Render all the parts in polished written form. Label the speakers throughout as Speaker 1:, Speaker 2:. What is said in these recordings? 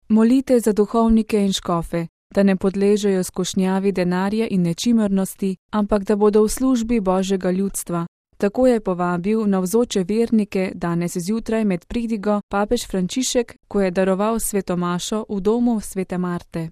Speaker 1: Molite za duhovnike in škofe, da ne podležejo skušnjavi denarja in nečimrnosti, ampak da bodo v službi Božjega ljudstva. Tako je povabil navzoče vernike danes zjutraj med pridigo papež Frančišek, ko je daroval sveto mašo v domu svete Marte.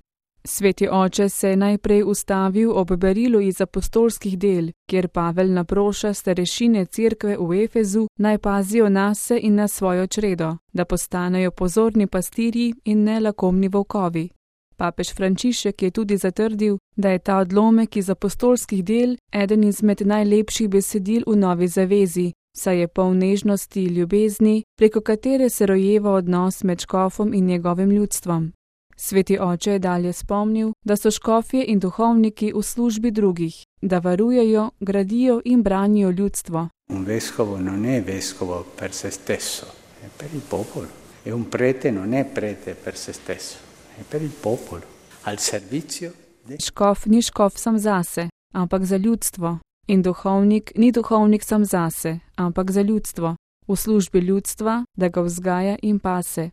Speaker 1: Sveti oče se je najprej ustavil ob berilu iz apostolskih del, kjer Pavel naproša starešine cerkve v Efezu, naj pazijo nase in na svojo čredo, da postanejo pozorni pastirji in ne lakomni volkovi. Papež Frančišek je tudi zatrdil, da je ta odlomek iz apostolskih del eden izmed najlepših besedil v Novi zavezi, saj je poln nežnosti, ljubezni, preko katere se rojeva odnos med škofom in njegovim ljudstvom. Sveti oče je dalje spomnil, da so škofje in duhovniki v službi drugih, da varujejo, gradijo in branijo ljudstvo.
Speaker 2: Un vescovo non è vescovo per se stesso, è per il popolo. E un prete non è prete per se stesso, è per il popolo, al servizio de...
Speaker 1: Škof ni škof sam zase, ampak za ljudstvo. In duhovnik ni duhovnik sam zase, ampak za ljudstvo, v službi ljudstva, da ga vzgaja in pase.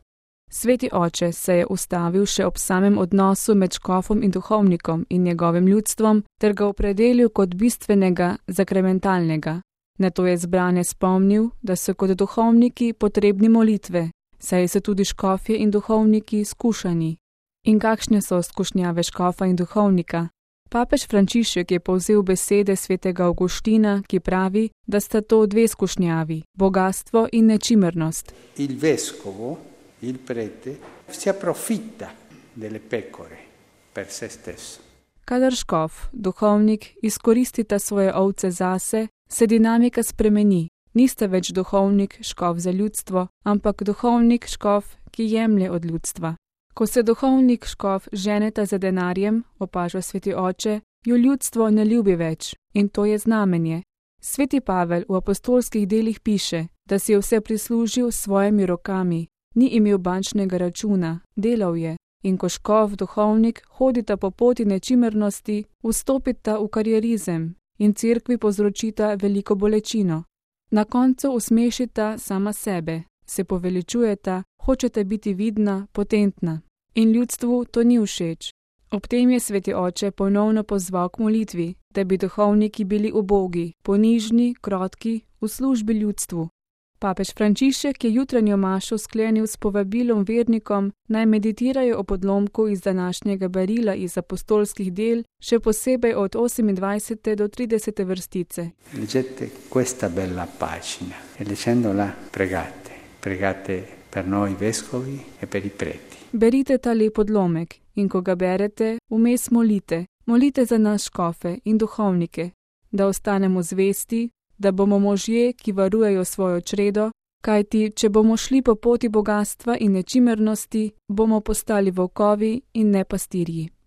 Speaker 1: Sveti oče se je ustavil še ob samem odnosu med škofom in duhovnikom in njegovim ljudstvom ter ga opredelil kot bistvenega, zakramentalnega. Nato je zbrane spomnil, da so kot duhovniki potrebni molitve, saj so tudi škofje in duhovniki skušani. In kakšne so skušnjave škofa in duhovnika? Papež Frančišek je povzel besede svetega Avguština, ki pravi, da sta to dve skušnjavi, bogastvo in nečimrnost.
Speaker 2: Il vescovo, il prete, si approfitta delle pecore per se stesso.
Speaker 1: Kadar škof, duhovnik, izkoristita svoje ovce zase, se dinamika spremeni. Nista več duhovnik, škof za ljudstvo, ampak duhovnik, škof, ki jemlje od ljudstva. Ko se duhovnik, škof ženeta za denarjem, opaža sveti oče, jo ljudstvo ne ljubi več in to je znamenje. Sveti Pavel v apostolskih delih piše, da si je vse prislužil s svojimi rokami, ni imel bančnega računa, delal je. In ko škof, duhovnik, hodita po poti nečimrnosti, vstopita v karierizem in cerkvi povzročita veliko bolečino. Na koncu usmešita sama sebe, se poveličujeta, hočete biti vidna, potentna. In ljudstvu to ni všeč. Ob tem je sveti oče ponovno pozval k molitvi, da bi duhovniki bili ubogi, ponižni, krotki, v službi ljudstvu. Papež Frančišek je jutranjo mašo sklenil s povabilom vernikom, naj meditirajo o podlomku iz današnjega berila iz apostolskih del, še posebej od 28. do 30. vrstice.
Speaker 2: Leggete questa bella pagina e leggendola pregate per noi vescovi e per i preti.
Speaker 1: Berite ta lep podlomek in ko ga berete, vmes molite za nas škofe in duhovnike, da ostanemo zvesti, da bomo možje, ki varujejo svojo čredo, kajti če bomo šli po poti bogastva in nečimrnosti, bomo postali volkovi in ne pastirji.